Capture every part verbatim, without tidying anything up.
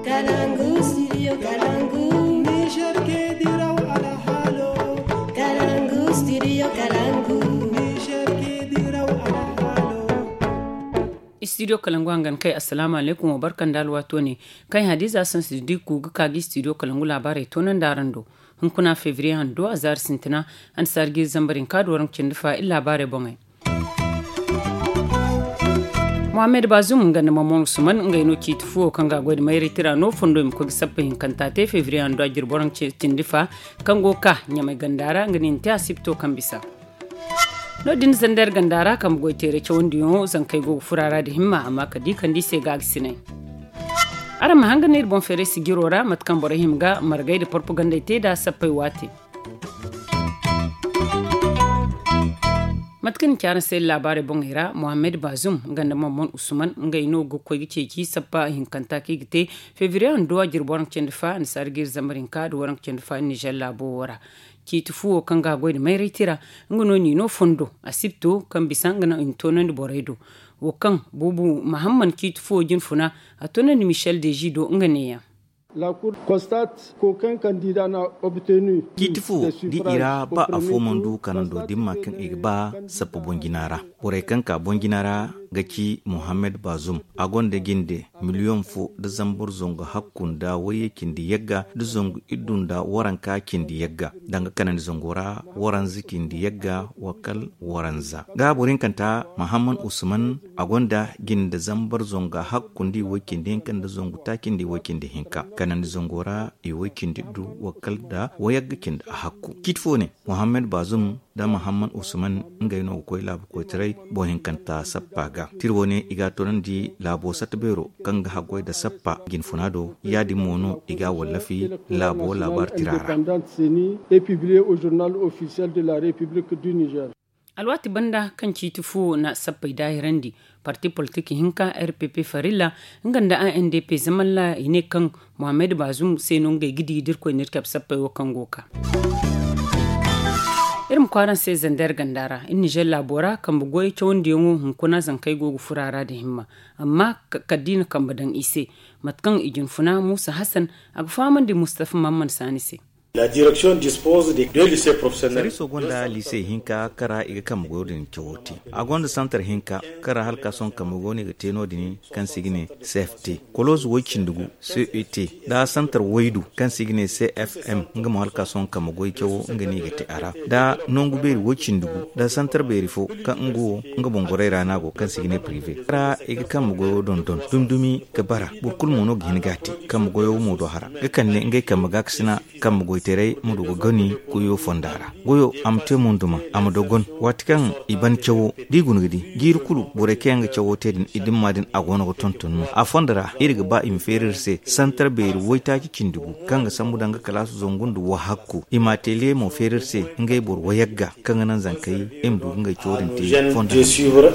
Kalangu, studio Kalangu. Niger ke diraw alhalo. Kalangu, studio Kalangu. Niger ke diraw alhalo. Studio Kalangu hangan kai, assalamu alaikum, wa barkan da alwato ne. Kai Hadiza Sansi Dikku ga ka ga studio Kalangu labarai tonan da aran do. Hunkuna fevrier hando a zaari sintina, an sargi zambarin ka duwaran cindi fa illa labarai bongai. Mohamed Bazoum nga nda Maman Usman ngey no ciiti fuwo kaŋ ga goy da mayray tira no fondo i ma koy ga sappa hinkanta te fevrier hando a jirbo raŋ cindi fa kaŋ go ga ka ɲamay ganda ra nga no i na te asibto kaŋ bisa. No- din zander ganda ra kambe goy teeray cawandiyaŋo zankey go ga fura ra da himma amma ka di kaŋ di se ga a ga sinay. Araŋ ma hanga no iri boŋ feeray sijiro ra mate kaŋ borey hima ga margay da porpagandey te da sappey waate. Mate kaŋ ni ci araŋ se laabaarey boŋey ra, Mohamed Bazoum nga nda Maman Usman ngey no ga koy ga ceeci sappa hinkanta kaŋ i ga te fevriye hando a jirbo waranka cindi fa annasaara ga iri zambar hinka nda waranka cindi fa Nizer laabo wo ra. Ciiti fu wo kaŋ ga a goy nda mayray tira, nga no n'i no fondo asibto kaŋ bisa nga no i na toonandi borey do. Wo kaŋ buubu mahamman ciiti fu wo jine funa, a toonandi Michel Deji do nga neeyaŋ. Ciiti fo da i ra ba afo mana du kanando dimma kaŋ i ga ba sappa boŋ jina ra. Borey kaŋ ka boŋ jina ra ga ci Mohammed Bazum. A gonda jinde miliyoŋ fo da zambar zangu hakku nda wayye cindi yagga da zangu iddu nda waranka cindi yagga danga kanandi zango ra waranza cindi yagga wa kal waranza. Ga boro hinkanta Mahamman Usman, a gonda jinde zambar zangu hakku nda i way cindi hinka nda zangu taaci nda i way cindi hinka kanandi zango ra i way cindi iddu wa kal da wayagga cindi a hakku. Ciiti fo ne Mohammed Bazum da Mahamman Usman ngey no ga koy laabu koytaray boŋ hinkanta sappa ga. Tira wo ne i ga a toonandi laabo satta beero kaŋ ga haggoy nda sappa jine funa do. Ya- din mo no i ga a wallafi laabo laabaari tira ra. Alwaati banda kaŋ ciiti fu wo na sappey daahirandi, parti politik hinka R P P farilla nga nda A N D P zamalla i ne kaŋ Mohammed Bazum se no ngey ga di da Irkoy na iri cabe sappey wo kaŋ go ga ka. Iri ma kwaara se zander ganda ra iri Nizer laabo ra kambe goyey cawandiyaŋo hunkuna zankey go ga furo a ra nda himma. Amma kala da i na kambe daŋ i se mate kaŋ i jine funa Musa Hassan, a ga fahamandi Mustafa Mamman Saani se. Sariiso gonda liise hinka kaŋ ra i ga kambe goyo din cawo te. A gonda santar hinka kaŋ ra hala ka sohõ kambe goyo no i ga te no- din kaŋ se i ga ne C F T, kolooze way- cindi gu C E T, nda santar waydu kaŋ se i ga ne C F M. Nga mo hala ka sohõ kambe goy cawo nga no i ga te a ra, nda nangu beeri way- cindi gu nda santar beeri fo kaŋ nga wo nga boŋ gorey ra no a go kaŋ se i ga ne prive ra i ga kambe goyo dondon dumi-dumi ga bara. Boro kulu mo no ga hin ga a te kambe goyo mo do hara ga kande ngey kambe gaakasina. Kambe goytaray ma du ga gani goyo fonda ra. Goyo a ma te munduma a ma dogon. Waati kaŋ i ban cawo da i guna ga di jiiri kulu borey kaŋ yaŋ ga cawo te din i dimma din a go no ga tonton no a fonda ra iri ga ba i ma feeri iri se santar beeri waytaaci cindi gu kaŋ ga sambu danga kalaasu zangu nda wahakku i ma ateliye mo feeri iri se. Ngey boro wayagga kaŋ ga naŋ zankey i ma du ga ngey cawo din te fonda ra.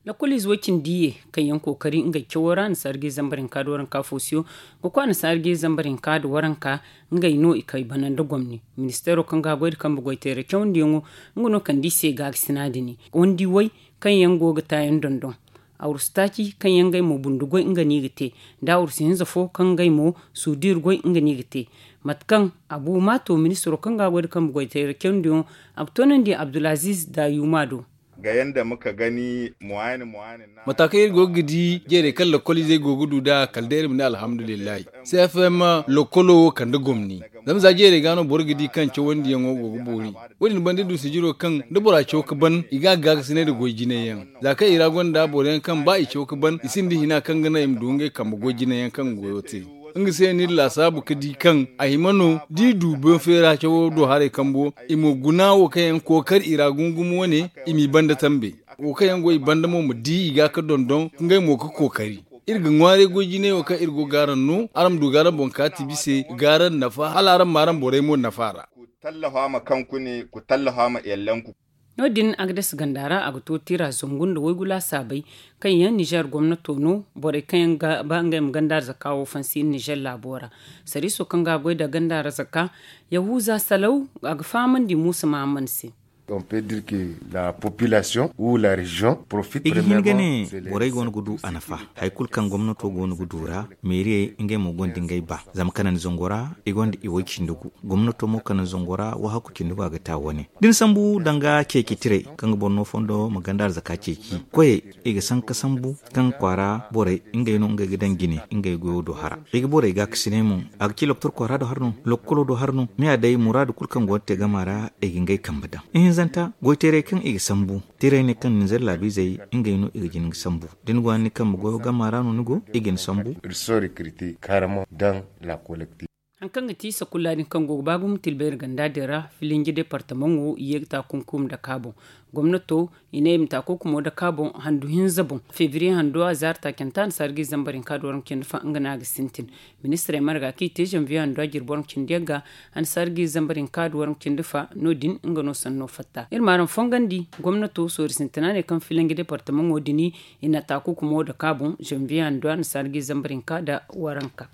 Lakkol ize way- cindi ye kaŋ yaŋ kookari ngey cawo ra annasaara ga iri zambar hinka nda waranka foosiyo ga koy annasaara ga iri zambar hinka nda waranka. Ngey no i kay bana nda gomni ministeero kaŋ ga a goy nda kambe goyteera cawandiyaŋo. Nga no kande i se gaakasina din wandi way kaŋ yaŋ go ga taayaŋ dondon. Awrusu taaci kaŋ yaŋ ngey mo bundu goy nga no i ga te nda awrusu hinza fo kaŋ ngey mo suudiiri goy nga no i ga te. Mate kaŋ abu maato ministeero kaŋ ga a goy nda kambe goyteera cawandiyaŋo a ga toonandi abdulaziiz daayuma do. Ga yanda muka gani muwaayani muwaayani. Mata kaŋ iri go ga di jeerey kaŋ lakkol izey go ga du nd'a kala day iri ma ne alhamdulillahi. C F M lakkolo wo kande gomni. Zama za jeerey ga no boro ga di kaŋ cawandiyaŋo go ga boori. Wo- din banda iri du sijiro kaŋ da bora caw ga ban i ga a gaakasinay nda goy jinay yaŋ. Za kaŋ i ra gonda boro yaŋ kaŋ ba i caw ga ban i sinda hina kaŋ ga naŋ i ma du ngey kambe goy jinay yaŋ kaŋ ga goyo te. Nga se no iri laasaabu ga di kaŋ a hima no da i du boŋ feera cawo do haray kambo i ma guna wo kaŋ yaŋ kookari i ra gumo gumo wane. I m'i banda tambe wo kaŋ yaŋ go i banda mo ma di i ga ga dondon ngey mo ga kookari. Iri ga ŋwaaray goy jinay wo kaŋ iri go ga araŋ no araŋ ma du ga araŋ boŋ kaati bise ga araŋ nafa hala araŋ ma araŋ borey mo nafa ra. Ku tallafa ma kaŋ kune ku tallafa ma yallanku. No- din agades ganda ra a ga to tira zangu nda waygu laasaabey kaŋ yaŋ nizer gomnato no. Borey kaŋ yaŋ ga ba ngey ma ganda arzaka wo fansi nizer laabo ra. Sariiso kaŋ ga a goy nda ganda arzaka yahuza salaw a ga fahamandi muusa mahamman se. On peut dire que la population ou la région profite. I ga hin ga ne borey go no ga du a nafa. Hari kulu kaŋ gomnato go no ga du ra, meeriyey ngey mo gonda ngey ba. Zama kanandi zango ra i gonda i way cindi gu. Gomnato mo kanandi zango ra wahakku cindi gu a ga ta wane. Da ni sambu danga ceeci tirey kaŋ ga boro no fondo ma ganda arzaka ceeci koyey, i ga sanka sambu kaŋ kwaara borey ngey no ngey ga daŋ jine ngey goyo do hara. I ga borey ga kasinay mo. A ga ci loktor kwaara do hara no, lokkolo do hara no. Me a day muraadu kulu kaŋ go ga te gama ra, i ga ngey kambe daŋ. Ihinzanta goyteerey kaŋ i ga sambu, tirey ne kaŋ ninzeer laabiizey ngey no i ga jin ga sambu. Da ni go ni kambe goyo gama ra no ni go, i ga ni sambu. Ils sont recrutés carrément dans la collectif. Hari kaŋ ga ti sakulla din kaŋ go ga ba gumo tilbayri ganda din ra, filinji departamaŋo i ye ga ta kunkum daka boŋ. Gomnato i ne i ma ta kunkumo daka boŋ handu hinza boŋ. Febriye hando a zaari taacanta annasaara ga i zambar hinka da waranka cindi fa nga no a ga sintin. Ministirey marga kaŋ i te zanviye hando a jirbi waranka cindi yagga, annasaara ga i zambar hinka da waranka cindi fa no- din nga no sanno fatta. Iri ma araŋ fongandi gomnato soori sintina ne kaŋ filinji departamaŋo din i na ta kunkumo daka boŋ zanviye hando annasaara ga i zambar hinka da waranka.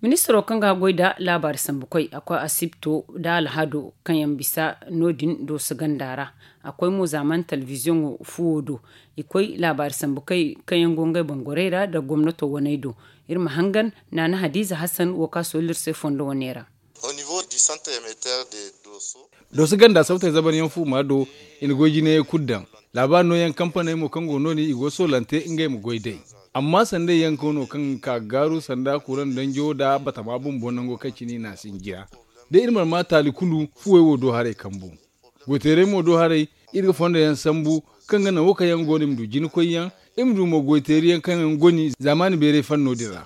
Ministiro kaŋ ga goy nda laabaari sambukoy a koy asibto nda alhado kaŋ yaŋ bisa no- din dooso ganda ra. A koy mo zaamaani telebiziyoŋo fuwo do. I koy laabaari sambukoy kaŋ yaŋ go ngey boŋ gorey ra nda gomnato waney do. Iri ma hangan naana hadiiza hasan wo kaŋ a soolli iri se fondo wane ra. Dooso ganda sabtey zabaryaŋ fuuma do, i na goy jinayey kulu daŋ. Laabaari nooyaŋ kampaney mo kaŋ go no- din i go soolante ngey ma goy day. Amma sanday yaŋ koono kaŋ ga ka ga gaaru sanda kuraŋ danjo nda batama bumbo nango kaŋ cine i n'a sinjiya. Da iri mana ma taali kulu fuwey wo do haray kambu. Goyteerey mo do haray, iri ga fondo yaŋ sambu kaŋ ga naŋ wo kaŋ yaŋ go no i ma du jina koyyaŋ, i ma du mo goyteeri yaŋ kaŋ yaŋ goni zaamaani beeray fanno din ra.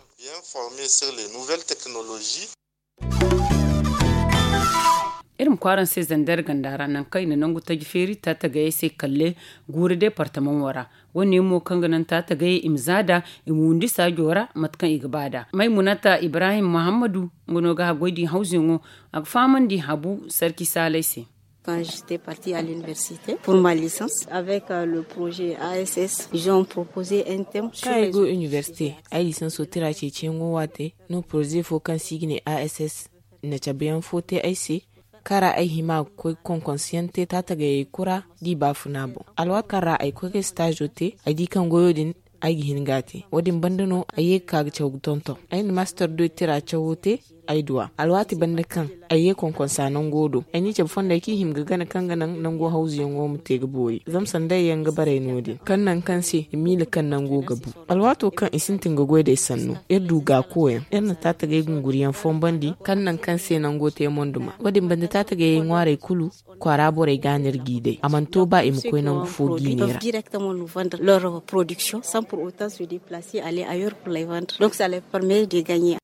Iri ma kwaaraŋ se zander ganda ra nangu kaŋ i na nangu taji feeri taatagayey se kalle guuri departamaŋo ra. Wo- ne mo kaŋ ga naŋ taatagayey i ma za nd'a, i ma wundi saajo ra mate kaŋ i ga ba nd'a. Maymunata ibrahim muhammadu nga no ga haggoy din hawzuyaŋo. A ga fahamandi habu sarki saalay se. Quand j'étais partie à l'université pour ma licence avec le projet a s s, ils ont proposé un thème sur kaŋ ay go université, ay lisanso tira ceeciyaŋo waate no poroze fo kaŋ se i ga ne a s s na cabeyaŋ fo te ay se, kaŋ ra ay hima ga koy konkonsiyaŋ te taatagayey kura da i baafuna boŋ. Alwaati kaŋ ra ay koy ga ay staazo te, ay di kaŋ goyo din ay ga hin ga a te. Wo- din banda no ay ye ga ka ga caw ga tonton. Ay na master de tira cawo te ay duwa alwaati banda kaŋ ay ye konkonsa nango do. Ay n'i cabe fondey kaŋ i hima ga gana kaŋ ga naŋ nango hawzuyaŋo ma te ga boori zama sanday yaŋ ga baray no- din kaŋ naŋ kaŋ se i miila kaŋ nango ga bu. Alwaato kaŋ i sintin ga goy d'ey sanno, iri du gaakoyaŋ, iri na taatagay gunguriyaŋ fombandi kaŋ naŋ kaŋ se nango te monduma. Wo- din banda taatagayey ŋwaarey kulu kwaara borey ga no iri g'i day. A mana to ba i ma koy nangu fo jiine ra. Directement nous vendre leur production sans pour autant se déplacer aller ailleurs pour les vendre. Donc ça leur permet de gagner.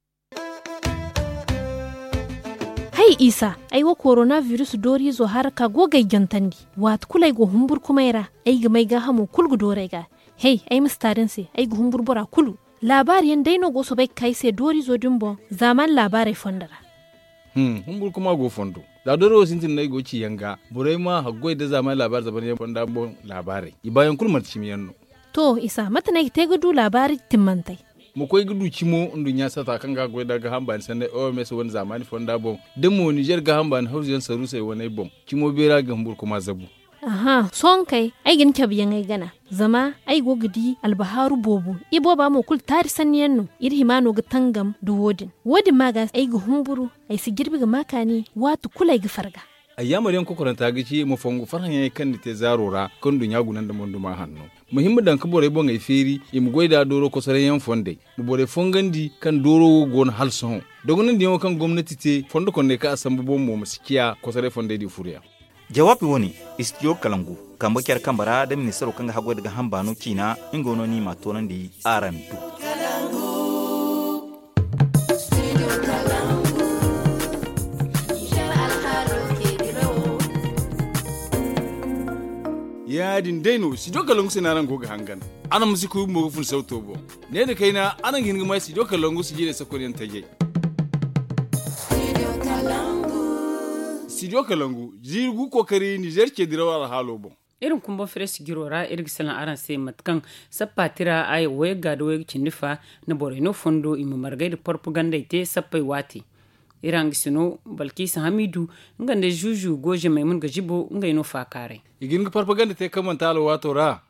Hay isa, ay wo korona virus dooriizo hara ka go g'ay jantandi. Waati kulu ay go humburkumay ra, ay ga may gaahamo kulu ga doorey ga. Hey, ay ma si taari ni se, ay ga humburu bora kulu. Laabaari yaŋ day no go soobay ga ka ay se dooriizo din boŋ zaamaani laabaarey fondo ra. Humburkuma go fondo. Za dooro wo sintin no ay go ga ci yaŋ ga, borey ma haggoy nda zaamaani laabaari zabaryaŋ fonda boŋ laabaarey. I baayaŋ kulu manti cimiyaŋ no. To isa, mate no ay ga te ga du laabaari timmantey? Ma koy ga du cimo nduɲɲa sata kaŋ ga goy nda gaaham baani sanney o m s wane zaamaani fonda boŋ, da mo nizer gaaham baani hawzuyaŋ saruusey waney boŋ, cimo beera ga humburkuma zabu. Aha, sohõ kay ay ga ni cabeyaŋey gana, zama ay go ga di albahaaru boobo. Ibooba mo kulu taari sanniyaŋ no. Iri hima no ga tangam nda wo- din. Wo- din ma ga ay ga humburu, ay si jirbi ga ma kaani waati kulu ay ga farga. Ay yaamaryaŋ kokoranta ga ci ma fongu farhãyaŋey kaŋ ni te zaaro ra kaŋ nduɲɲa guna nda monduma hanno. Ma hima daŋ ga borey boŋey feeri i ma goy nd'a dooro kosorayyaŋ fondey. Ma borey fongandi kaŋ dooro wo go no hala sohõ. Dogonandiyaŋo kaŋ gomnati te fondo kondey kaŋ a sambu boŋ mo ma si ciya kosoray fondey din furoyaŋ. Jawaabi wo-ne, istidiyo kalangu kambe care kambe ra da ministaro kaŋ ga haggoy nda gaaham baano ciina. Nga no ni m'a toonandi araŋ do. Ya- din day no studio kalangu se no araŋ go ga hangan. Araŋ ma si kuy bumbo ga fun sawto boŋ. Ne nda kayna araŋ ga hin ga ma studio kalangu sijirey sakonyaŋ tajay. Studio kalangu jiiri gu kookari nizer ce diraw alhaalo boŋ. Iri ma kumbaŋ fere sijiro ra iri ga salaŋ araŋ se mate kaŋ sappa tira aya wayagga nda wayga cindi fa na borey no fondo i ma margay nda porpagandey te sappey waate. Iri hangasino balkiisa hamidu, nga nda zuuzu goozamey mun ga zibo ngey no faakaaray. I ga hin ga parpaganda te kaŋ manti alwaato ra.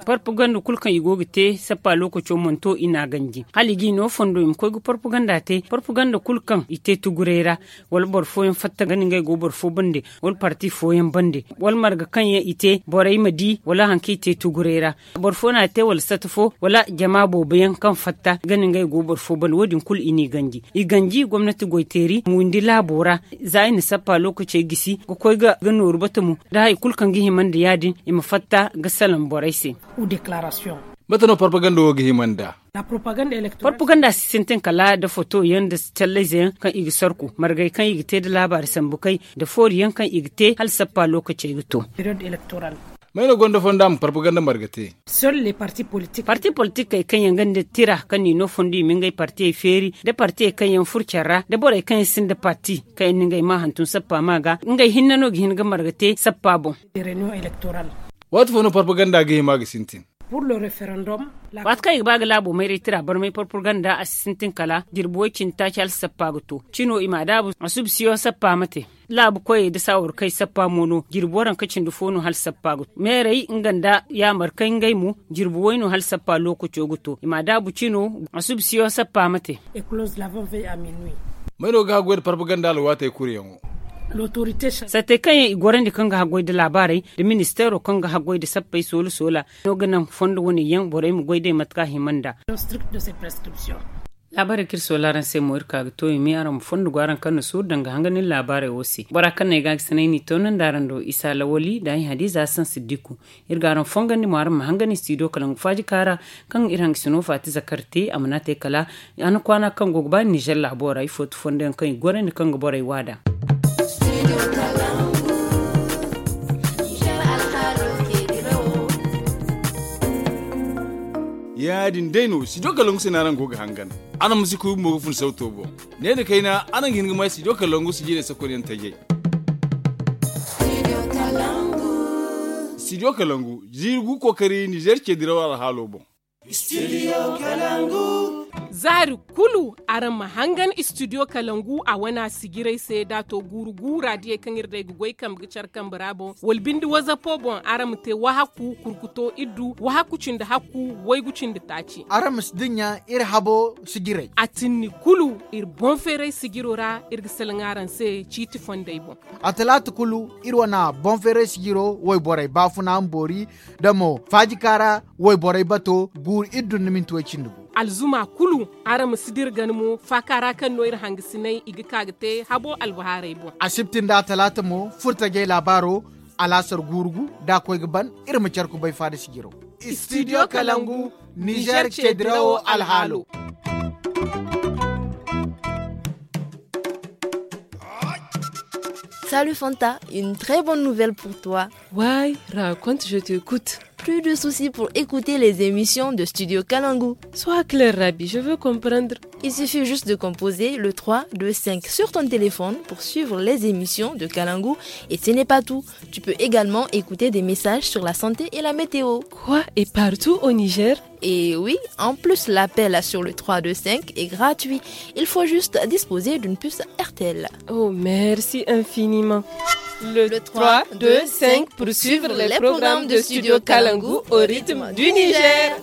Parpaganda kulu kaŋ i go ga te sappa lookaco mana to i n'a ganji hala i g'i no fondo i ma koy ga parpaganda te parpaganda kulu kaŋ i te tuguray ra, wala boro fooyaŋ fatta ga ni ngey go boro fo bande, wala parti fooyaŋ bande, wala marga kaŋ yaŋ i te borey ma di wala hari kaŋ i te tuguray ra. Boro fo n'a te wala sata fo wala jama boobo yaŋ kaŋ fatta ga ni ngey go boro fo bande wo- din kulu i n'i ganji. I ganji gomnati goyteeri ma windi laabo ra, za i na sappa lookacey gisi ga koy ga nooru bata mo, da hari kulu kaŋ ga hima nda ya- din i ma fatta ga salaŋ borey se. Mate no parpaganda wo ga hima nda? Parpaganda si sintin kala nda foto yaŋ nda callayze yaŋ kaŋ i ga sarku margey kaŋ i ga te nda laabaari sambu kay, nda foori yaŋ kaŋ i ga te hala sappa lookacey ga to. May no gonda fonda ma parpaganda marga te? Parti politikey kaŋ yaŋ gonda tira kaŋ n'i no fondo i ma ngey partiyey feeri, nda partiyey kaŋ yaŋ furo care ra nda borey kaŋ yaŋ sinda parti, kaŋ yaŋ na ngey maa hantum sappa maa ga ngey hinne no ga hin ga marga te sappa boŋ. Waati fo no parpaganda ga hima ga sintin? Waati kaŋ i ga ba ga laabo mayray tira barmay parpaganda a si sintin kala jirbi way- cindi taaci hala sappa ga to cino i m'a daabu a suba siyo sappa ma te. Laabu koyey nda saawarkey sappa mo no jirbi waranka cindi fo no hala sappa ga to meerey nga nda yaamarkey ngey mo, jirbi way no hala sappa lookaco ga to i m'a daabu cino a suba siyo sappa ma te. May no ga haggoy nda parpaganda alwaatey kuru yaŋo? Sattey kaŋ yaŋ i gorandi kaŋ ga haggoy nda laabaarey nda ministeero kaŋ ga haggoy nda sappey soola soola no ga naŋ fondo wane yaŋ borey ma goy day mate kaŋ a hima nda. Laabaarey kaŋ iri soola araŋ se mo iri ka ga to i me araŋ ma fondo go araŋ kaŋ na suuru danga hangan iri laabaarey wo se bora kaŋ no ay ga a ga sanay n'i toonandi araŋ do isa lawali nda ay hadiza hasan siddiku. Iri ga araŋ fongandi mo araŋ ma hangan istidiyo kala nga faaji kaara kaŋ iri hangasino faati zakar te a mana te kala a na kwaana kaŋ go ga ba nizer laabo ra ifo ti fondo yaŋ kaŋ i gorandi kaŋ ga borey waada. Ya- din day no studio kalangu se no araŋ go ga hangan. Araŋ ma si kuy bumbo ga fun sawto boŋ. Ne nda kayna araŋ ga hin ga may studio kalangu sijirey sakonyaŋ tajay. Studio kalangu jiiri gu kookari nizer ce diraw alhaalo boŋ. Za hari kulu araŋ ma hangan istidiyo kalangu a wana sijirey se da a to guuru gu raadiyey kaŋ iri day ga goy kambe ga care kambe ra boŋ wala binde wazapo boŋ araŋ ma te wahakku kurkuto iddu wahakku cindi hakku waygu cindi taaci. Araŋ ma si dinya iri habo sijirey. A tinni kulu iri boŋ feeray sijiro ra iri ga salaŋ araŋ se ciiti fondey boŋ. A talaata kulu iri wana boŋ feeray sijiro wayborey baafuna ma boori da mo faaji kaara wayborey bato guuru iddu nda minti way cindi gu. Alzuma kulu araŋ ma si dira gana mo faaka ra kaŋ no iri hangasinay i ga ka ga te habo albahaarey boŋ. Asibti nda talaata mo furtajey laabaaro alaasar guuru gu da a koy ga ban iri ma care kubay faada sijiro. Studio kalangu nizer ce dirawo alhaalo. Salut Fanta, une très bonne nouvelle pour toi. Why, raconte, je t'écoute. Plus de soucis pour écouter les émissions de Studio Kalangu. Sois clair, Rabi, je veux comprendre. Il suffit juste de composer le trois deux cinq sur ton téléphone pour suivre les émissions de Kalangu. Et ce n'est pas tout. Tu peux également écouter des messages sur la santé et la météo. Quoi, et partout au Niger? Et oui, en plus, l'appel sur le trois deux cinq est gratuit. Il faut juste disposer d'une puce R T L. Oh, merci infiniment. Le trois deux cinq pour suivre les programmes de Studio Kalangu au rythme du Niger.